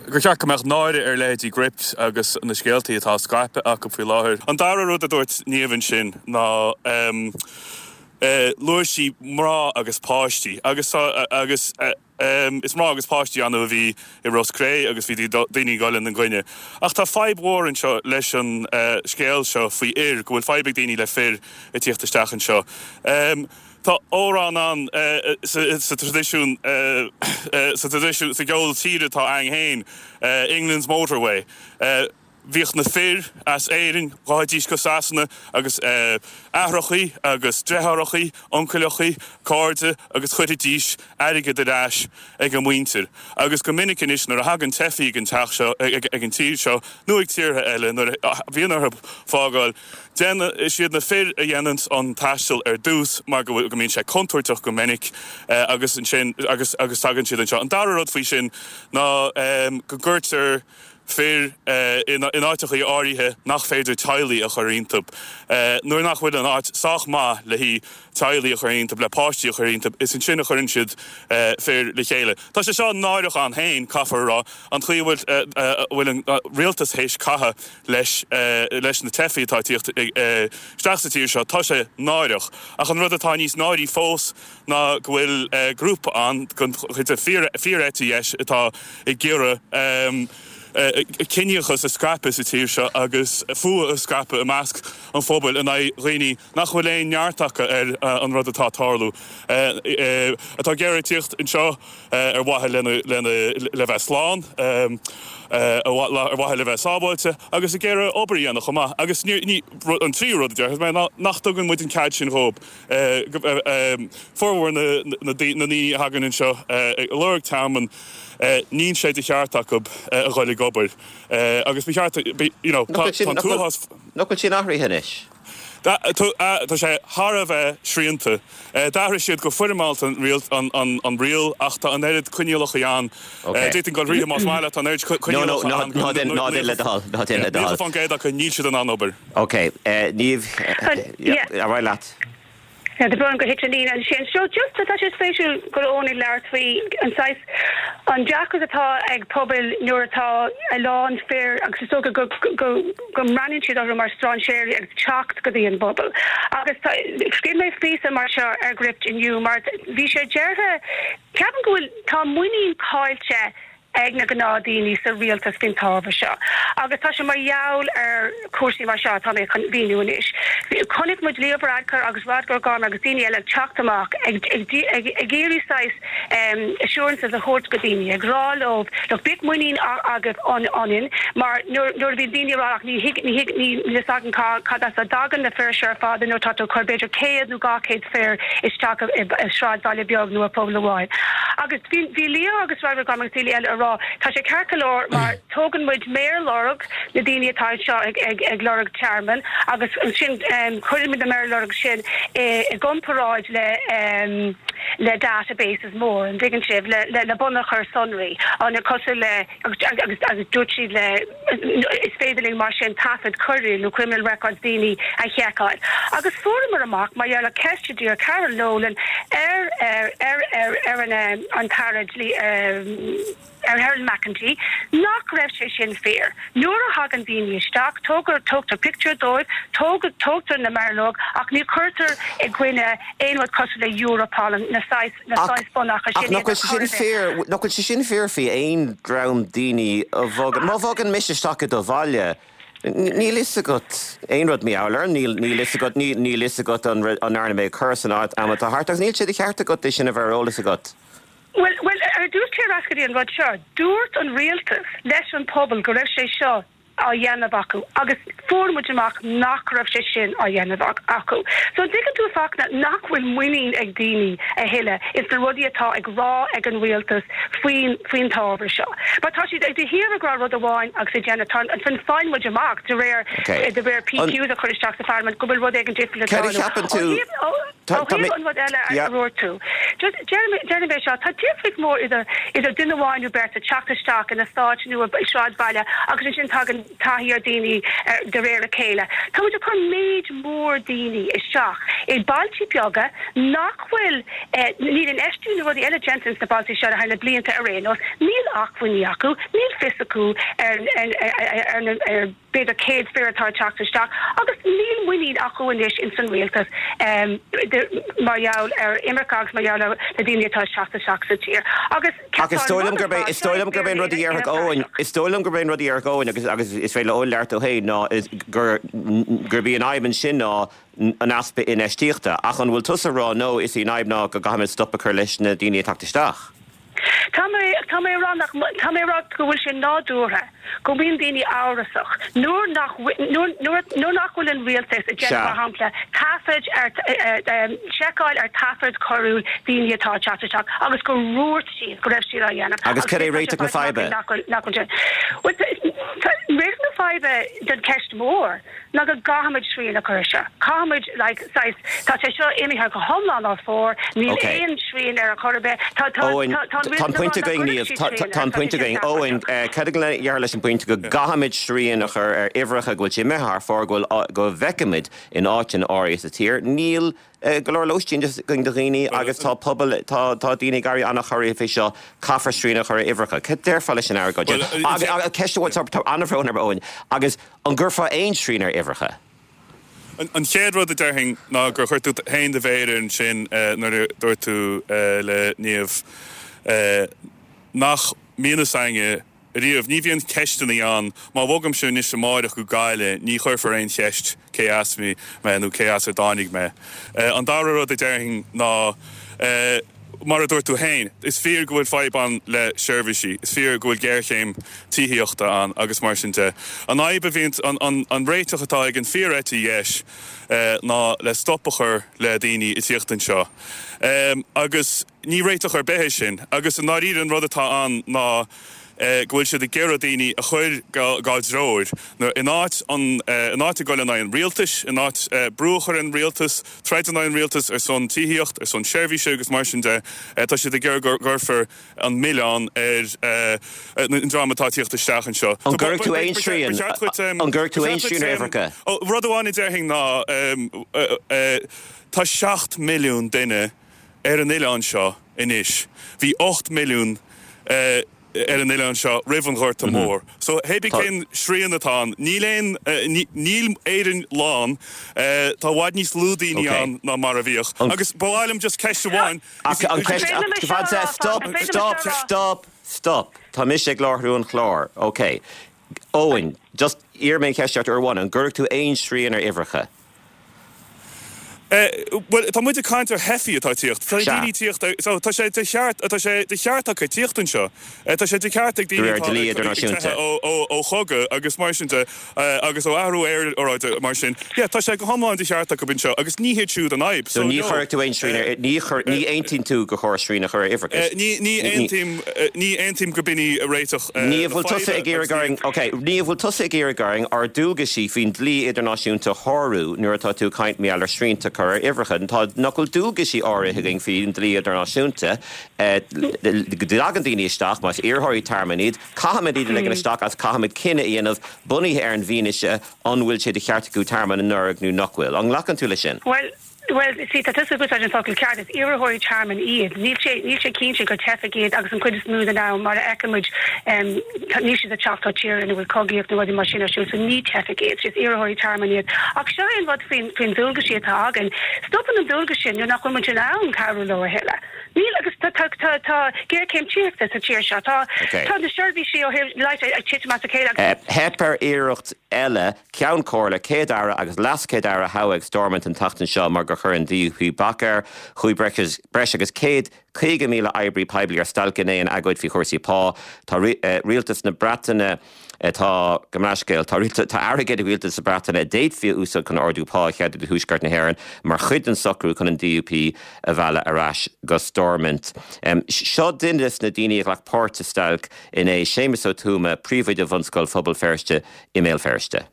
gur cheart go mbeadh náire ar leithéidí Gript agus na scéaltaí atá á scaipeadh acu faoi láthair. An dara rud a dúirt Niamh ansin ná luaigh sí mná agus páistí agus agus Is mná agus páistí annamh a bhí i Ros Cré agus bhí daoine ag dul ina gcoinne. Ach tá fadhb mhór anseo leis an scéal seo faoi fhir, go bhfuil fadhb ag daoine le fir ag tíocht isteach anseo. Tá amhrán ann sa traidisiún, sa traidisiún, sa gceol tíre atá againn féin, England's Motorway. Bhíodh na fir as Éirinn, ghabhaidís go Sasana agus aithreachaí agus deartháireachaí, uncaileachaí, cairde agus chuiridís airgead ar ais ag a muintir. Agus go minic anois nuair a thagann teifigh ag an teach seo, ag an tír seo nó ag tíortha eile nuair a bhíonn orthu fágáil, déanann, is iad na fir a dhéananns an taisteal ar dtús mar go bhfuil, go mbíonn sé contúirteach go minic agus ansin, agus, agus tagann siad anseo. An dara rud faoi sin ná go gcuirtear fir in áiteachaí áirithe nach féidir teaghlaigh a chur iontu. Nuair nach bhfuil an áit sách maith le haghaidh teaghlaigh a chur iontu, le páistí a chur iontu, is ansin a chuireann siad fir le chéile. Tá sé seo náireach ann féin, caithfear a rá, an chaoi a bhfuil an rialtas théis caitheamh leis leis na teifigh atá ag tíocht isteach sa tír seo. Tá sé náireach. Ach an rud atá níos náirí fós ná go bhfuil grúpa ann den chuid de fíor-eite dheis atá ag iarraidh ciníochas a scaipeadh sa tír seo agus fuath a scaipeadh i measc an phobail in aghaidh dhaoine nach bhfuil aon neart acu ar an rud atá ag tarlú, atá ag iarraidh tíocht anseo ar mhaithe lena le bheith slán, ar mhaithe le bheith sábháilte agus ag iarraidh obair a dhéanamh chomh maith. Agus an tríú rud a déarfas mé ná nach dtugann muid an cead sin dhóibh. Formhór na ndaoine a thagann anseo ag lorg tearmainn, níl sé de cheart acu a dhul ag obair agus ba cheart, you know, tá an t-uafás. Nach bhfuil sin athraithe anois? Tá sé thar a bheith srianta. D'athraigh siad go foirmeálta an riail ach tá an oiread coinníollacha ann. D'fhéadfainn dul thríothu más maith leat, tá an oiread coinníollacha ann go 90% acu níl siad in ann obair. Ok, Niamh, ar aghaidh leat. Tá brón gur thit an líne ansin. So just tá sé spéisiúil go raibh Eoin ag labhairt faoi an saghas, an deacracht atá ag pobail nuair atá a lán fir agus is dócha go go go mbreathnaíonn siad orthu mar strainséirí ag teacht go dtí an bpobal. Agus tá, scríobh mé píosa mar seo ar Gript inniu mar bhí sé deartha, ceapaim go bhfuil, tá muinín caillte ag na gnáthdaoine sa rialtas faoin t-ábhar seo agus tá sé mar gheall ar chúrsaí mar seo atá mé chun mhíniú anois. Chonaic muid Leo Varadkar agus Rodger O'Gorman agus daoine eile ag teacht amach ag ag iarraidh saghas assurances a thabhairt go daoine, ag rá leo look bíodh muinín agaibh ionainn mar nuair nuair a bhíonn daoine ag rá ach ní thig ní thig ní níl fhios againn cá cad as a dtagann na fir seo ar fad nuair atá tú ag cur b'fhéidir 100 nó 200 fear isteach i sráidbhaile beag nó i bpobal amháin. Agus bhí, bhí Leo agus Rodger O'Gorman agus daoine eile ag rá, tá sé ceart go leor mar tógann muid méarloirg na daoine atá anseo ag, ag, ag lorg tearmainn agus ansin cuireann muid na méarloirg sin i, i gcomparáid le, le databases mór, an dtuigeann sibh, le, le, le bunachar sonraí, an, cosúil le, agus, agus, agus dúirt siad le. Is féidir linn mar sin taifead coiriúil nó criminal records daoine a sheiceáil. Agus fuaireamar amach, mar gheall ar cheist a d'iarr Carol Nolan ar ar ar ar ar an an tAire Dlí ar Helen McEntee, nach raibh sé sin fíor. Nuair a thagann daoine isteach, tógar tógtar pictiúr dóibh, tóg tógtar na méarloirg ach ní chuirtear i gcoinne aon rud cosúil le Europol, na saghas na Ach, saghas bunachair ach sin nach iad bhfuil ar sé chor sin ar bith. fíor, nach bhfuil sé sin fíor faoi aon dream daoine a bhogann, má bhogann mise isteach i do bhaile, níl fhios agat aon rud mar gheall orm, níl, níl fhios agat, níl, níl fhios agat an, an ndearna mé coir san am atá thart agus níl sé de cheart agat é sin a bheith ar eolas agat. Bhuel, bhuel, ar dtús téir ar ais go dtí an rud seo, dúirt an rialtas leis an pobal go raibh sé seo á dhéanamh acu agus fuair muid amach nach raibh sé sin á dhéanamh acu. So an dtuigeann tú Fachtna nach bhfuil muinín ag daoine a thuilleadh ins na rudaí atá ag rá ag an rialtas faoin faoin t-ábhar seo. Mar tá siad de shíor ag rá rud amháin agus ag déanamh tá an faigheann muid amach de réir Okay. de réir An PQs a chur isteach sa pharlaimint go bhfuil rud éigin difriúil ag Céard a tarlú. cheapann Ó tú thaobh ó Tá ó tá mé thaobh an rud eile a yeah. a dúirt tú just deirim é seo, tá difríocht mhór idir idir duine amháin nó beirt ag teacht isteach in eastát nó i sráidbhaile agus ansin tagann taithí ar daoine de réir a chéile. Tá muid ag cur méid mór daoine isteach i bailte beaga nach bhfuil, níl infheistiú nó rudaí eile déanta ins na bailte seo thar na blianta ar aon nós, níl acmhainní acu, níl fios acu ar ar na ar b'fhéidir 100 fear atá ag teacht isteach agus níl muinín acu anois ins an rialtas mar gheall ar imirce agus mar gheall ar na daoine atá ag teacht isteach sa tír agus Ach is dóigh liom gurb é, is dóigh liom gurb é an rud a dhéarfadh Eoin, is dóigh liom gurb é an rud a dhéarfadh Eoin agus, agus is féidir le Eoin labhairt dó féin ná gur, gurb í an fhadhb ansin ná an easpa infheistíochta. Ach an bhfuil tusa ag rá no, is í an fhadhb ná go gcaithfimid stop a chur leis na daoine ag teacht isteach? Tá mé, tá mé ag rá nach, tá mé ag rá go bhfuil sé nádúrtha go mbíonn daoine amhrasach nuair nach, nuair, nuair, nuair nach bhfuil an rialtas ag déanamh, mar Sea. shampla, taifead ar, seiceáil ar taifead coiriúil daoine atá ag teacht isteach agus gur dhúirt siad go raibh siad á dhéanamh Agus agus cad é anois tá sé réiteach na faighte amach faidhbe? nach bhfuil, nach bhfuil sé. Bhuel, tá, réiteach na faidhbe den cheist mhór ná go gcaithfimid srian a chur air seo. Caithfimid, like, saghas, tá sé seo imithe go hiomlán thar fóir, níl Ok. aon srian ar a chor ar bith. Tá, tá, Eoin, tá, tá an tá an rialtas ag rá pointe nach againn, gcuirfidh Niamh, siad tá, srian tá air, an tá sé pointe sin againn. Eoin, seafóideach. eh, cad a déarfá leis an bpointe go gcaithfimid srian a chur ar uimhreacha go bhfuil sé imithe thar fóir, go bhfuil, go bhfeicimid in áiteanna áirithe sa tír, níl go leor lóistín againn do dhaoine agus tá pobail, tá, tá daoine ag éirí an-chorraithe fé seo, caithfear srian a chur ar uimhreacha. Cad déarfá leis an argóint sin? Agus, agus, ceist amháin, tá, tá an-bhrón orm, Eoin, agus an gcuirfeá aon srian ar uimhreacha? An chéad rud a déarfainn ná gur chuir tú féin do mhéar air ansin nuair a dúirt tú le Niamh nach mbíonn fhios againne riamh. Ní bhíonn ceisteanna ann. Má bhogaimse anois amáireach go Gaillimh, ní chuirfear aon cheist cé as mé nó cé as ar dtáinig mé. An dara rud a déarfainn ná, mar a dúirt tú féin, is fíor go bhfuil fadhb ann le seirbhísí, is fíor go bhfuil géarchéim tithíochta ann agus mar sin de. An fhadhb a bhíonn, an réiteach atá ag an fíor-eite dheis ná le stop a chur le daoine ag tíocht anseo. Agus ní réiteach ar bith é sin. Agus i ndáiríre an rud atá ann ná. go bhfuil siad ag iarraidh daoine a chur dhá dtreoir in áit an in áit a ghoil in aghaidh an rialtais, in áit brú a chur ar an rialtas, troid in aghaidh an rialtais ar son tithíocht, ar son seirbhíse agus mar sin de. Tá siad ag iarraidh go gcuirfear an milleán ar an dream atá ag tíocht isteach anseo. An gcuirfidh tú aon srian An gcuirfidh tú aon srian ar uimhreacha? Rud amháin a déarfainn ná tá 7 milliún duine ar an oileán seo anois. Bhí 8 milliún ar an oileán seo roimh an Ghorta Mór. So, hé bí cén srian atá ann, níl aon, níl Éirinn lán, tá i bhfad níos lú daoine ann ná mar a bhíodh. Agus ba mhaith liom just ceist amháin, An ceist, stop, stop, stop, stop, tá mise ag láithriú an chláir, ok. Eoin, just iarrfaidh mé an cheist ort uair amháin, an gcuirfidh tú aon srian ar uimhreacha? Bhuel, tá muid ag caint ar theifigh atá ag tíocht. Tá daoine ag tíocht, so tá sé de cheart, tá sé de cheart acu tíocht anseo. Tá sé de cheart ag daoine atá ag teitheadh ó chogadh agus mar sin de, agus ó athrú aeráide mar sin. Yeah, tá sé go hiomlán de cheart acu anseo agus ní hiad siúd an fhadhb. So ní chuirfidh tú aon srian ar, ní chuir, ní aontaíonn tú gur chóir srian a chur ar uimhreacha? Ní, ní aontaím, ní aontaím go b'in í réiteach na Ní bhfuil tusa ag iarraidh orainn, ok, ní bhfuil tusa ag iarraidh orainn ár dualgaisí faoin dlí idirnáisiúnta a shárú nuair atá tú ag caint mar gheall ar srianta a chur ar uimhreacha. Tá, nach bhfuil dualgaisí áirithe againn faoin dlí idirnáisiúnta, go dtagann daoine isteach, más iarrthóirí tearmainn iad, caithfimid iad a ligean isteach agus caithfimid cinneadh a dhéanamh bunaithe ar an bhfianaise an bhfuil sé de cheart acu tearmann a lorg nó nach bhfuil. An nglacann tú leis sin? Bhuel, bhuel, see, tá tusa ag úsáid an focal ceart, is iarrthóirí tearmainn iad. Níl sé, níl sé cinnte gur teifigh iad agus an chuid is mó den am, mar a fheiceann muid, tá, níl siad ag teacht ó tír ina bhfuil cogaíocht nó rudaí mar sin ar siúl, so ní teifigh iad, is iarrthóirí tearmainn iad. Ach seo é an rud faoin, faoin dualgaisí atá againn. Stopann an dualgas sin nuair nach bhfuil muid in ann cabhrú leo a thuilleadh. Níl agus tá, tá, tá, tá géarchéim tithíochta sa tír seo. Tá, tá na seirbhísí ó thaobh leighis ag titim as a chéile agus. Theip ar iarracht eile Ceann Comhairle, Céad-Aire agus LeasChéad-Aire a thoghadh ag Stormont an tseachtain seo mar gur chuir an DUP bac air. Chuaigh breis agus 150,000 oibrí poiblí ar stailc inné in agóid faoi chúrsaí pá. Tá rialtas na Breataine Tá, gabh mo leithscéal, tá tá airgead ag rialtas na Breataine a d'fhéadfaí a úsáid chun ardú pá a cheadú do Thuaisceart na hÉireann mar chuid den socrú chun an DUP a mhealladh ar ais go Stormont. Seo duine des na daoine a ghlac páirt sa stailc inné, Séamus Ó Tuama, príomhoide Bhunscoil Phobal Feirste i mBéal Feirste.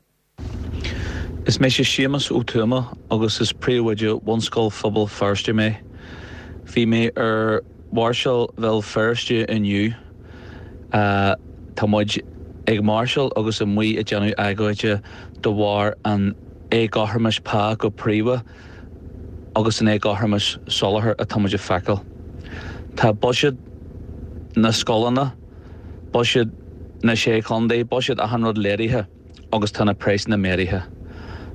Is mise Séamus Ó Tuama agus is príomhoide Bhunscoil Phobal Feirste mé. Bhí mé ar mháirseáil Bhéal Feirste inniu. Tá muid ag máirseáil agus amuigh ag déanamh agóide de bharr an éagothromais pá go príomha agus an éagothromais soláthair atá muid ag feiceáil. Tá buiséad na scoileanna, buiséad na Sé Chontae, buiséad achan rud laghdaithe. agus tá na praghsanna méadaithe.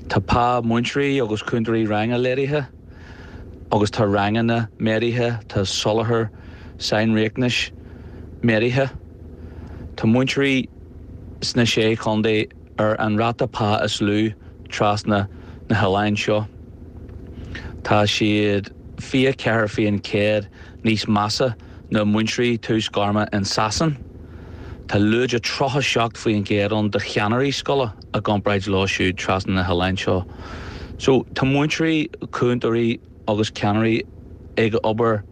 Tá pá múinteoirí agus cúntóirí ranga laghdaithe agus tá ranganna méadaithe, tá soláthar sainriachtanais méadaithe. Tá múinteoirí sna Sé Chontae ar an ráta pá is lú trasna na hoileáin seo. Tá siad 24% níos measa ná múinteoirí tús gairme in Sasain. Tá lúide 37% ann do cheannairí scoile i gcomparáid leo siúd trasna na hoileáin seo. So, tá múinteoirí, cúntóirí agus ceannairí ag obair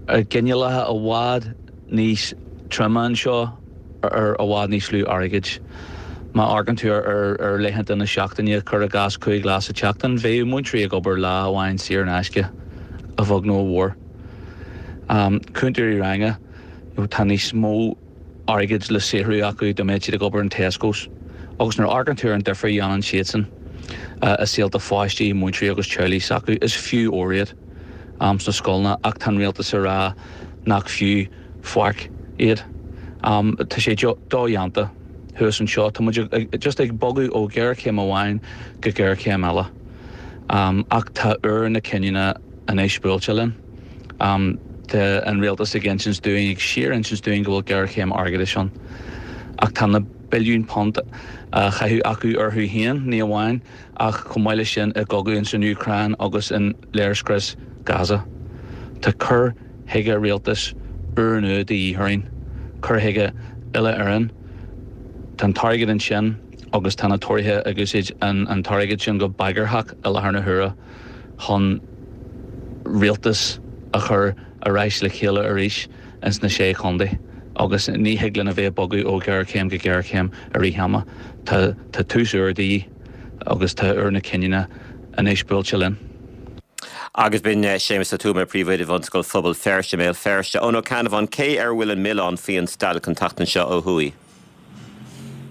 i gcoinníollacha i bhfad níos troime anseo ar i bhfad níos lú airgid. Má amharcann tú ar laethanta na seachtaine, cuir i gcás 5 lá sa tseachtain, bheadh múinteoirí ag obair lá amháin saor in aisce, a bheag nó a mhór. Cúntóirí ranga, tá níos mó airgid le saothrú acu dá mbeadh siad ag obair in Tesco's. Agus nuair a amharcann tú ar an difear a dhéanann siadsan i saolta pháistí, múinteoirí agus teaghlaigh s'acu, is fiú ór iad sna scoileanna ach tá an rialtas ag rá nach fiú faic iad. Tá sé dodhéanta thuas anseo. Tá muid just ag bogadh ó ghéarchéim amháin go géarchéim eile. Ach tá uair na cinniúna anois buailte linn. Tá an rialtas ag insint dúinn, ag síor-insint dúinn go bhfuil géarchéim airgeadais ann. Ach tá na billiúin punt á chaitheamh acu orthu féin, ní amháin, ach chomh maith leis sin i gcogadh ins an Úcráin agus in léirscrios Gaza. Tá cur chuige rialtais úrnua de dhíth orainn, cur chuige uile-Éireann. Tá an t-airgead ansin agus tá na Tóraithe ag úsáid an t-airgead sin go bagarthach i láthair na huaire. chun rialtas a chur ar ais le chéile arís ins na Sé Chontae. Agus ní thig linn a bheith ag bogadh ó ghéarchéim go géarchéim i rith ama. Tá tá tús úr de dhíth agus tá uair na cinniúna anois buailte linn. Agus b'in Séamus Ó Tuama, Príomhoide Bhunscoil Phobal Feirste i mBéal Feirste. Eoin Ó Ceannabháin, cé ar a bhfuil an milleán faoi an stailc an tseachtain seo ó thuaidh?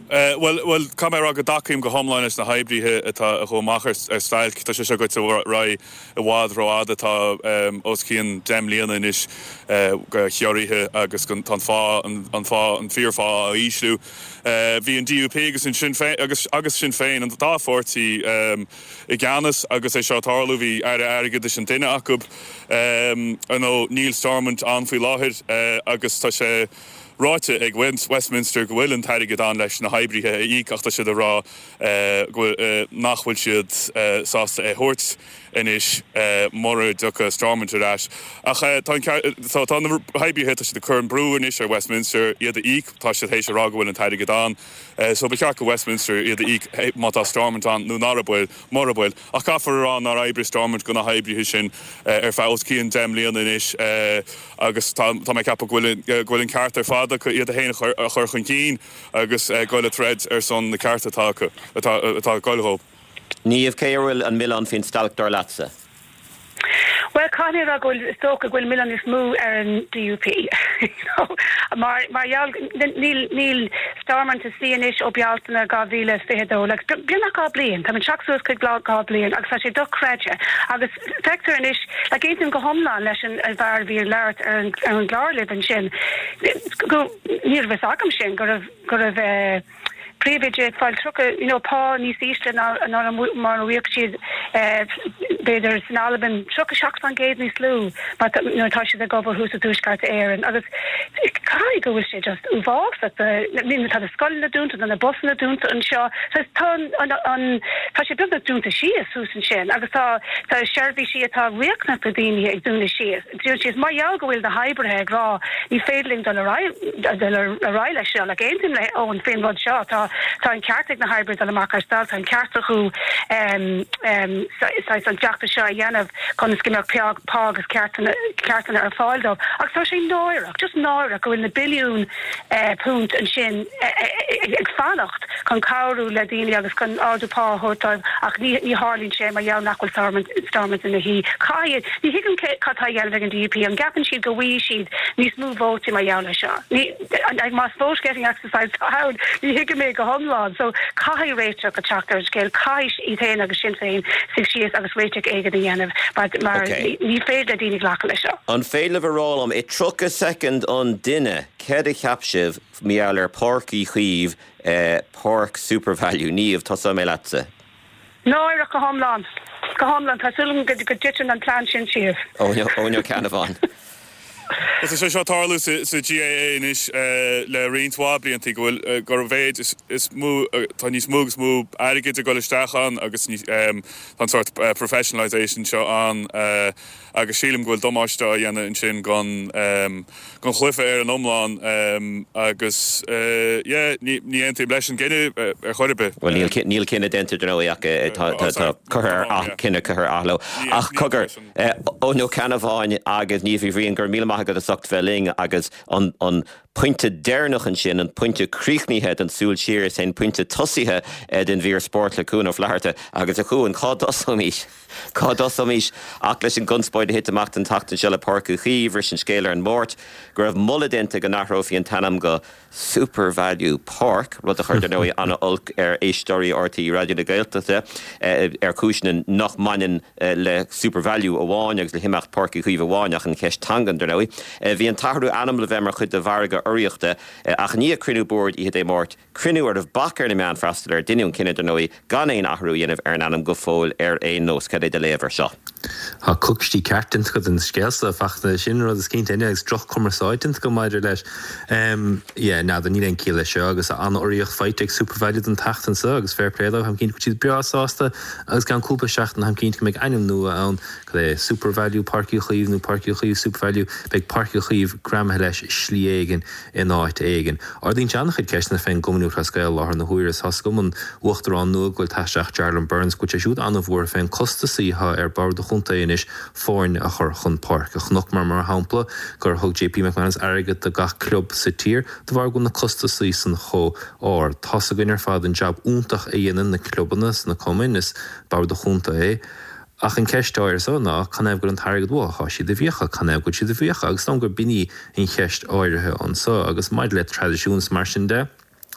Bhuel, bhuel, caithfidh mé a rá go dtacaím go hiomlán leis na hoibrithe atá a chuaigh amach ar stailc. Tá sé seo goite ar aghaidh i bhfad rófhada. Tá os cionn 10 mbliana anois de chiorruithe agus tá an phá, an phá, an fíorphá á ísliú. Bhí an DUP agus an Sinn Féin, agus, agus Sinn Féin, an dá pháirtí i gceannas agus é seo ag tarlú. Bhí Aire Airgeadais an duine acu. Ar ndóigh, níl Stormont ann faoi láthair agus tá sé, ráite ag Westminster go bhfuil an t-airgead ann leis na hoibrithe a íoc ach tá siad ag rá go bhfuil nach bhfuil siad sásta é a thabhairt anois mura dtiocfaidh Stormont ar ais. Ach tá an ceart tá na hoibrithe tá siad ag cur an brú anois ar Westminster iad a íoc, tá siad théis a rá go bhfuil an t-airgead ann so ba cheart go Westminster iad a íoc má tá Stormont ann nó nara bhfuil, mura bhfuil. Ach caithfear a rá nár oibrigh Stormont do na hoibrithe sin ar feadh os cionn 10 mbliana anois agus tá mé ag ceapadh go bhfuil go bhfuil an ceart ar fad acu iad féin a chur chun cinn agus goil ag troid ar son na cearta atá acu, atá atá ag goil dhóibh. Niamh, cé ar a bhfuil an milleán faoin stailc dar leatsa? Bhuel, caithfidh mé a rá go bhfuil, is dócha go bhfuil milleán níos mó ar an DUP you know mar mar gheall níl níl Stormont ina suí anois ó Bealtaine 2022 like beagnach 2 bliain, táimid ag teacht suas chuig 2 bliain agus tá sé dochreidte agus feictear anois like aontaím go hiomlán leis an bhfear a bhí ag labhairt ar an ar an gclár libh ansin go ní raibh fhios agam sin go raibh go raibh eh príomhoide ag fáil 30 you know pá níos ísle ná ná mar a bhíodh siad b'fhéidir san Albain 37% níos lú mar nuair atá siad ag obair thuas i dTuaisceart Éireann agus caithfidh go bhfuil sé just uafásach do I mean tá na scoileanna dúnta tá na busanna dúnta anseo tá tá an an tá sé beagnach dúnta síos thuas ansin agus tá tá seirbhísí atá riachtanach do daoine ag dúnadh síos. Dúirt siad, mar gheall go bhfuil na hoibrithe ag rá ní féidir linn dul ar aghaidh dul ar aghaidh leis seo, like aontaím le Eoin faoin rud seo, tá tá an ceart ag na hoibrithe dul amach ar stailc, tá an ceart acu saghas an feachtas seo a dhéanamh chun is go mbeadh pá pá agus ceartanna ceartanna ar fáil dóibh. Ach tá sé náireach, just náireach go bhfuil na billiúin punt ansin ag fanacht chun cabhrú le daoine agus chun ardú pá a thabhairt dóibh ach ní tharlaíonn sé mar gheall nach bhfuil Stormont Stormont ina shuí. Caithfidh, ní thuigim cad tá á dhéanamh ag an DUP, an gceapann siad go bhfaighidh siad níos mó vótaí mar gheall ar seo? Ní, más vote getting exercise atá ann, ní thuigim é go hiomlán. So caithfidh réiteach a teacht ar an scéal, caithfidh iad féin agus Sinn Féin suí síos agus réiteach éigin a dhéanamh mar mar ní féidir le daoine glacadh leis seo. An féidir libh a rá liom i 30 soicind an duine céard a cheap sibh mar gheall ar Páirc Uí Chaoimh, Páirc Supervalu? Niamh, tosóidh mé leatsa. Náireach go hiomlán. Go hiomlán. Tá súil agam go dtiteann an plean sin síos. Eoin Ó Ceannabháin. Tá sé seo ag tarlú sa GAA anois le roinnt mhaith blianta go bhfuil gur mhéid is mó tá níos mó agus mó airgid ag dul isteach ann agus tá an sórt professionalisation seo ann agus sílim go bhfuil damáiste á dhéanamh ansin don don chluiche ar an iomlán agus yeah ní ní aontaím leis an gcinneadh ar chor ar bith. Bhuel níl níl cinneadh déanta dar ndóigh ach tá tá curtha ar cinneadh curtha ar athló ach cogar Eoin Ó Ceannabháin agus Niamh Uí Bhriain, go raibh míle maith agat as ucht bheith linn agus an an pointe deireanach ansin, an pointe críochnaithe den tsúil siar, is é an pointe tosaithe den mhír spóirt le Cuan Ó Flatharta. Agus a Chuain, cá dtosóimís? Cá dtosóimís ach leis an gconspóid a thit amach an tseachtain seo le Páirc Uí Chaoimh, bhris an scéal ar an Máirt go raibh moladh déanta go n-athrófaí an t-ainm go Supervalu Park, rud a chuir, dar ndóigh, an-olc ar éisteoirí RTÉ Raidió na Gaeltachta, ar chúiseanna nach mbaineann le Supervalu amháin agus le himeacht Páirc Uí Chaoimh amháin, ach an cheist teangan, dar ndóigh. Bhí an t-athrú ainm le bheith mar chuid de mhargadh urraíochta, ach i ndiaidh cruinniú boird oíche Dé Máirt, cruinniú a raibh bac ar na meáin freastal air, deineadh an cinneadh, dar ndóigh, gan aon athrú a dhéanamh ar an ainm go fóill ar aon nós. Cad é do léamh ar seo? Tá coicistí ceart déanta acu den scéal so, Fachtna, sin rud is cinnte agus droch-chumarsáid déanta acu maidir leis. Yeah, n'fheadar, níl aon ciall leis seo agus an-urraíocht faighte ag Supervalu don tseachtain seo agus fair play dóibh, táim cinnte go bhfuil siad breá sásta agus i gceann cúpla seachtain táim cinnte go mbeidh ainm nua ann, cad é, Supervalu Páirc Uí Chaoimh nó Páirc Uí Chaoimh Supervalu, beidh Páirc Uí Chaoimh greamaithe leis i slí éigin in áit éigin. Ardaíonn sé an-chuid ceisteanna fén gCumann Lúthchleas Gael i láthair na huaire. Tá's agam an Uachtarán nua go bhfuil tagtha isteach Jarlath Burns go bhfuil sé siúd an-bhuartha fén costasaí atá ar bord. chontae anois foirne a chur chun páirce. Chonaiceamar, mar shampla, gur thug JP McManus airgead do gach club sa tír de bharr go bhfuil na costasaí san chomh ard. Tá's againn ar fad an jab iontach a dhéanann na clubanna sna cumainn, is b'fhearr do chontae é. Ach an ceist áirithe so ná, canathaobh go bhfuil an t-airgead uathu? Thá siad i bhfiacha. Canathaobh go bhfuil siad i bhfiacha? Agus is dóigh liom gur b'in í an cheist áirithe anso. Agus maidir le traidisiún is mar sin de,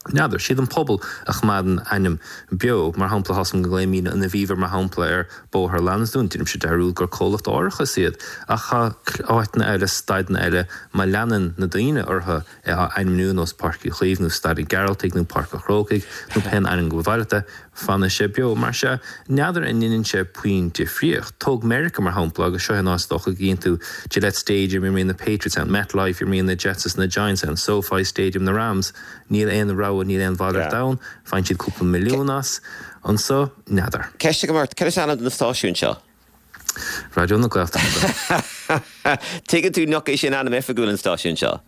n'fheadar. Siad an pobal a choimeádann ainm beo. Mar shampla, tá's agam go nglaoimídne an Aviva mar shampla ar Bóthar Lansdún. Deinimse dearúd gur comhlacht árachais iad. Ach tá áiteanna eile, staideanna eile, má leanann na daoine orthu é á ainmniú nós Páirc Uí Chaoimh nó Staid an Ghearaltaigh nó Páirc an Chrócaigh nó pén ainm go ba mhaith leat é, fanfaidh sé beo. Mar sea, n'fheadar an ndeineann sé puinn difríocht. Tóg Meiriceá mar shampla agus seo é an áit is dócha go gcíonn tú Gillette Stadium, imríonn na Patriots ann, MetLife, imríonn na Jets is na Giants ann, SoFi Stadium na Rams, níl aon rogha, níl aon mhalairt ann, faigheann siad cúpla milliún as. Anso, n'fheadar. Ceist agam ort, cad is ainm do na stáisiúin seo? Raidió na Gaeltachta. Tuigeann tú nach é sin ainm oifigiúil an stáisiúin seo?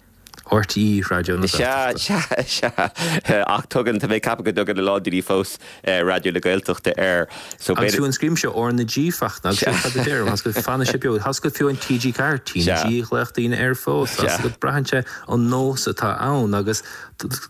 RTÉ Raidió na Gaeltachta. Sea, sea, sea. Ach tugann, tá mé ag ceapadh go dtugann a lán daoine fós Raidió na Gaeltachta air. So Agus fiú an scríobhaimse R na G Fachtna, agus sin cad a deirim, tá's agat fanfaidh sé beo, tá's agat fiú an TG4, T na G a ghlaodh daoine air fós, tá's agat braitheann sé an nós atá ann agus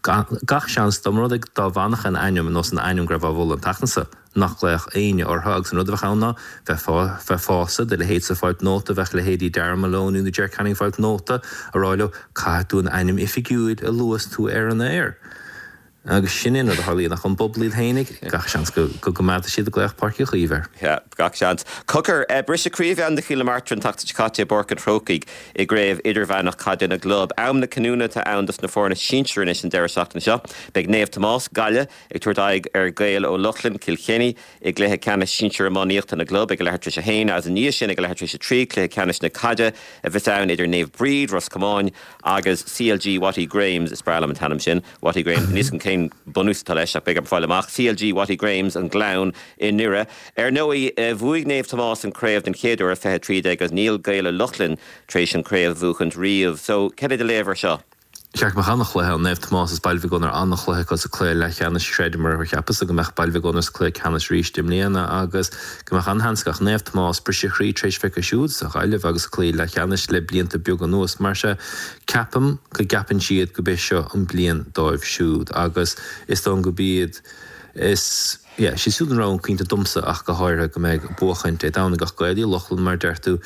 gach seans dá mba rud é dá bhfanfadh an ainm nós an ainm go raibh á mholadh an tseachtain seo. nach nglaofadh éinne orthu agus an rud a bheadh ann ná bheifeása do leithéidse ag fáilt nóta, bheadh leithéidí Darragh Maloney nó Ger Canning ag fáilt nóta a rá leo caithfidh tú an ainm oifigiúil a lua is tú ar an aer. Agus sin é an rud a tharlaíonn ach an bpobal iad fhéinig, gach seans go gcoimeádfaidh siad ag glaoch Páirc Uí Chaoimh air. Yeah, gach seans. Cogar, briseadh croí a bhí ann do Chill na Martra an tseachtain seo caite i bPáirc an Chrócaigh i gCraobh Idirmheánach Caide na gClub. Am na cinniúna atá ann dos na foirne sinsir anois an deireadh seachtaine seo. Beidh Naomh Tomás, Gaillimh, Ag tabhairt aghaidh ar Ghaeil Ó Lochlainn, Cill Chainnigh, i gcluiche ceannais sinsir iománaíochta na gclub ag a leathuair tar éis a haon agus i ndiaidh sin ag a leathuair tar éis a 3, cluiche ceannais na caide a bheas ann idir Naomh Bríd, Ros Comáin, agus CLG Watty Graham's, is breá liom an t-ainm sin, Watty Graham's, níl 'fhios agam cén bunús atá leis ach beidh orm fáil amach, CLG Watty Graham's, An Gleann i nDoire. Ar ndóigh, bhuaigh Naomh Tomás an craobh den chéad uair i 2013 agus níl Gaeil Ó Lochlainn tar éis an craobh a bhuachaint riamh. So, cad é do léamh ar seo? Cheart go mbeadh an-chluiche ann. Naomh Tomás is Baile Mhic Gonair an-chluiche acu sa cluiche leathcheannais. Chreideamar mar cheapas-sa go mbeadh Baile Mhic Gonair sa cluiche ceannais arís i mbliana agus go mbeadh an-sheans acu. Naomh Tomás, briseadh chroí tar éis bheith acu siúd sa Ghaillimh agus sa cluiche leathcheannais le blianta beaga anuas. Mar sea, ceapaim go gceapann siad go b'é seo an bliain dóibh siúd agus is dóigh liom go b'iad is yeah, siad siúd an rogha cinnte domsa ach go háirithe go mbeidh ag buachaint Dé Domhnaigh ach Gaeil Uí Lochlainn mar deir tú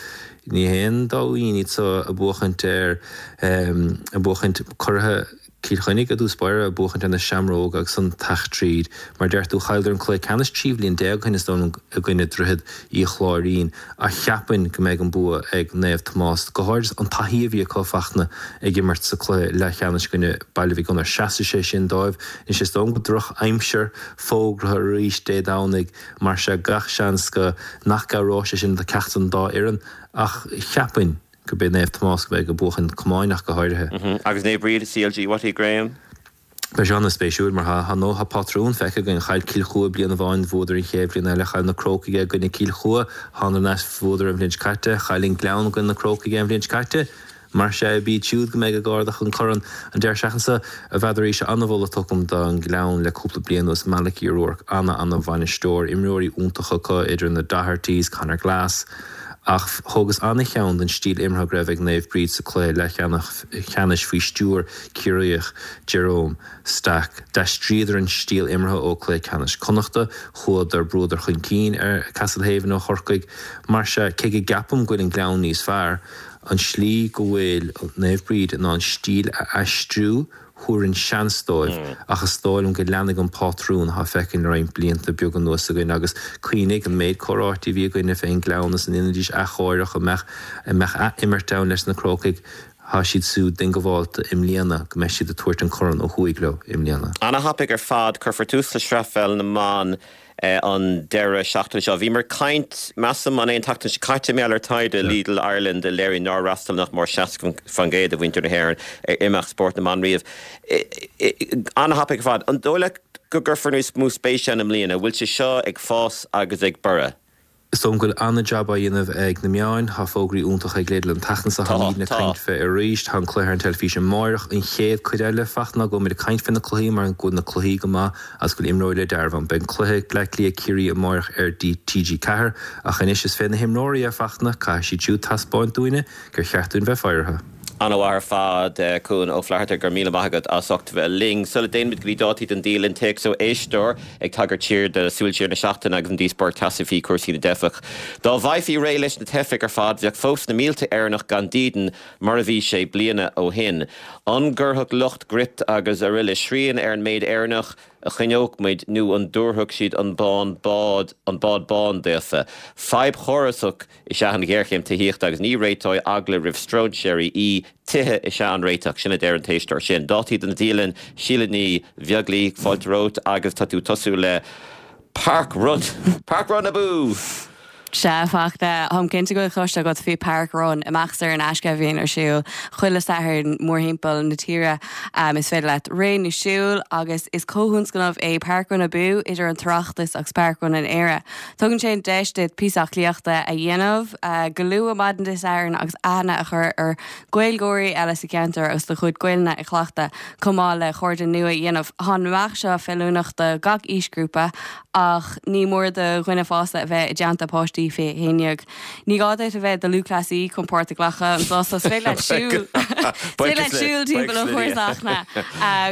ní haon dóigh iad so ag buachaint ar ag buachaint curaithe Cill Chainnigh i dtús báire ag buachaint ar na Seamróga agus ansan teacht tríd mar deir tú chailleadar an cluiche ceannais 13 bhliain ó shin is dóigh liom i gcoinne Droichead Uí Chláirín ach cheapfainn go mbeidh an bua ag Naomh Tomás go háirid an taithí a bhí acu Fachtna ag imirt sa cluiche leathcheannais i gcoinne Baile Mhic Gonair seasfaidh sé sin dóibh anois is dóigh liom go droch aimsir fógraithe arís Dé Domhnaigh, mar sea gach seans go nach gcabhróidh sé sin do ceachtar den dá fhoireann ach cheapfainn gurb é Naomh Tomás go mbeidh ag buachan camáin ach go háirithe. Agus Naomh Bríd, CLG, Watty Graham? Beidh sé an-spéisiúil mar tá nó tá pátrún feicthe againn. Chaill Cill Chua bliain amháin, bhuadar an chéad bhliain eile, chaill na Crócaigh i gcoinne Cill Chua, thánadar ar ais, bhuadar an bhliain seo caite, chaill an Gleann i gcoinne na Crócaigh an bhliain seo caite. Mar sea, b'iad siúd go mbeidh ag ardach an corn an deireadh seachtaine seo. N'fheadar arís an-mholadh tugtha agam don Ghleann le cúpla bliain anuas. Malachy O'Rourke, ana-ana-bhainisteoir, imreoirí iontacha acu idir na Dohertys, Conor Glass. Ach thógas ana-cheann den stíl imeartha go raibh ag Naomh Bríd sa cluiche leathcheannais faoi stiúir Ciarraíoch Jerome Stack. D'aistríodar an stíl imeartha ó cluiche ceannais Connachta, chuadar, brúadar chun cinn ar Castlehaven ó Chorcaigh. Mar sea, cé go gceapaim go bhfuil an Gleann níos fearr, An slí go bhfuil Naomh Bríd in ann stíl a aistriú, thabharfainn seans dóibh, ach is dóigh liom go leanfaidh an pátrún atá feicthe le roinnt blianta beaga anuas againn agus cuimhnigh an méid comhráití a bhí againne fén nGleann is an ndéanfaidís athchóireach, an mbeadh, an mbeadh ath-imirt ann leis na Crócaigh, tá siad siúd diongbháilte i mbliana go mbeidh siad ag tabhairt an corn ó thuaidh leo i mbliana. Ana-thapaidh ar fad. Cuirfear tús le Sraith Pheil na mBan an deireadh seachtaine seo. Bhíomar ag caint, measaim, an é an tseachtain seo caite, mar gheall ar taighde Lidl Ireland a léirigh nár fhreastail nach mór 60% de mhuintir na hÉireann ar imeacht spóirt na mban riamh. An-thapaidh ar fad. An dóigh leat go gcuirfear níos mó spéise ann i mbliana? Bhfuil sé seo ag fás agus ag borradh? Is dóigh liom go bhfuil an-jab á dhéanamh ag na meáin. Tá fógraí iontacha ag Lidl an tseachtain seo, Tá, táimidne ag tá. caint fé arís. Tá an cluiche ar an teilifís amáireach. An chéad cuid eile, Fachtna, ná go bhfuil muid ag caint fé na cluichí mar go bhfuil na cluichí go maith agus go bhfuil imreoirí le dealramh ann. Beidh an cluiche Bleá Cliath Ciarraí amáireach ar TG4 ach anois is fé na himreoirí é, Fachtna. Caithfidh siad siúd taispeáint dúinne gur cheart dúinn bheith fadhartha. An-mhaith ar fad, Cuan Ó Flatharta, go raibh míle maith agat as ucht bheith linn. Sula dtéann muid go dtí dátaí don dialann, téacs ó éisteoir ag tagairt siar do Súil Siar na Seachtaine agus an díospóireacht teasa faoi chúrsaí na dteifeach. Dá bhfaighfí réidh leis na teifigh ar fad, bheadh fós na mílte Éireannach gan dídean mar a bhí sé bliana ó shin. An gcuirfeadh lucht Gript agus aroile srian ar an méid Éireannach a choinneodh muid nó an dtabharfadh siad an bán bád an bád bán daofa? Fadhb chórasach is ea an ghéarchéim tithíochta agus ní réiteoidh eagla roimh stróinséirí í, tithe is ea an réiteach, sin a deir an t-éisteoir sin. Dátaí don dialann, Síle Ní Bheaglaoí, fáilte romhat agus tá tú ag tosú le Park Run! Park Run abú! Sea, a Fhachtna, táim cinnte go bhfuil cloiste agat faoi Park Run, imeacht saor in aisce a bhíonn ar siúl chuile Satharn mórthimpeall na tíre. Is féidir leat rith nó siúl agus is comhthionscnamh é Park Run Abú idir an tOireachtas agus Park Run in Éire. Tugann sé an deis duit píosa aclaíochta a dhéanamh go luath maidin Dé Sathairn agus aithne a chur ar Ghaeilgeoirí eile sa cheantar agus do chuid Gaelainne a chleachtadh, chomh maith le cairde nua a dhéanamh. Tá an imeacht seo feiliúnach do gach aoisghrúpa ach ní mór do dhuine fásta a bheith i dteannta páistí faoi 11. Ní gá duit a bheith i do lúthchleasaí chun páirt a ghlacadh anseo so is féidir leat siúl féidir leat siúl timpeall an chúrsa a Fhachtna.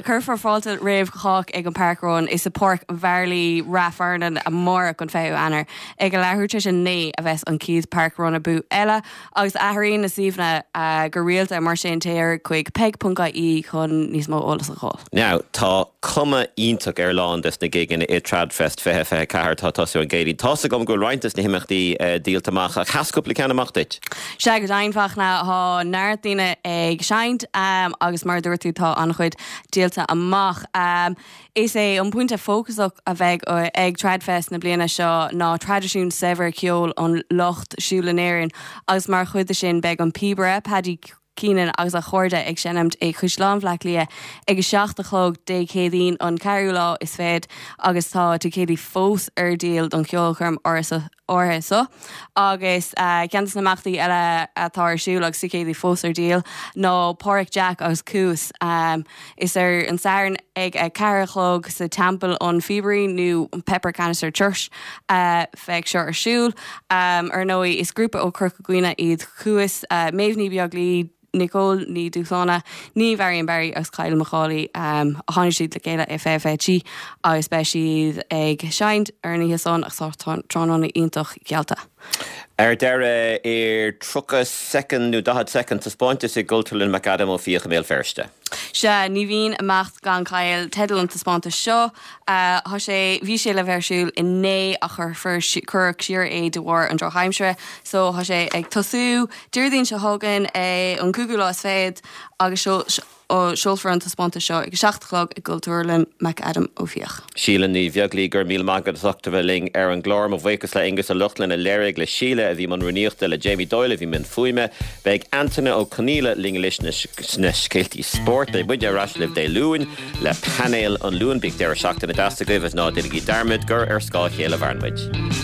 Cuirfear fáilte roimh chách ag an Park Run is i Páirc Mharlaí, Rath Fearnáin amárach an 20ú Eanáir. Ag a leathuair tar éis a 9 a bheas an chéad Park Run Abú eile agus athraíonn na suíomhanna go rialta mar sin téir chuig peig.ie chun níos mó eolas a fháil. Now, tá cuma iontach ar a lán des na gigeanna i Tradfest 2024 atá ag tosú an gCéadaoin. Tá's agam go bhfuil roinnt des na himeachtaí díolta amach, ach sheas cúpla ceann amach duit? Sea, go deimhin, Fachtna, tá neart daoine ag seinnt agus mar a dúirt tú tá an-chuid díolta amach. Is é an pointe fócasach a bheidh ag Tradfest na bliana seo ná traidisiún saibhir ceoil an lucht siúil in Éirinn agus mar chuid de sin beidh an píobaire Paddy Keenan agus a chairde ag seinmt i Caisleán Bhaile Átha Cliath ag a 7 a chlog Dé Céadaoin an ceathrú lá is fichead agus tá ticéidí fós ar díol don cheolchoirm áirithe seo. Agus ceann de na himeachtaí eile atá ar siúl agus ticéidí fós ar díol ná Páraic Jack agus Cuas. Is ar an Satharn ag a 4 a chlog sa Teampall an Phíobairín nó an Pepper Canister Church a bheidh seo ar siúl. Ar ndóigh is grúpa ó Chorca Dhuibhne iad Cuas, Méabh Ní Bheaglaoí, Nicole Ní Dhúshláine, Niamh Marion Barry agus Kyle McCauley. Tháinig siad le chéile i 2023 agus beidh siad ag seinnt ar an oíche san agus tá tráthnóna iontach geallta. Ar deireadh, i 30 soicind nó 40 soicind, taispeántas i gCultúrlann McAdam Ó Fiaich i mBéal Feirste. Sea, ní bhíonn imeacht gan caill teideal an taispeántais seo. Tá sé, bhí sé le bheith ar siúl inné ach cuirfear, cuireadh siar é de bharr an drochaimsire. So tá sé ag tosú Déardaoin seo chugainn, an cúigiú lá is fichead agus seolfar an taispeántas seo ag a 7 a chlog i gCultúrlann McAdam Ó Fiaich. Síle Ní Bheaglaoí, go raibh míle maith agat as ucht a bheith linn ar an gclár. Mo bhuíochas le Aonghus Ó Lochlainn a léirigh, le Síle a bhí i mbun rúnaíochta, le Jamie Doyle a bhí i mbun fuaime. Beidh Antaine Ó Conaola linn anois sna scéaltaí spóirt. Beidh muide ar ais libh Dé Luain le Painéal an Luain. Bíodh deireadh seachtaine deas agaibh agus ná déanaigí dearmad gur ar scáth a chéile a mhaireann muid.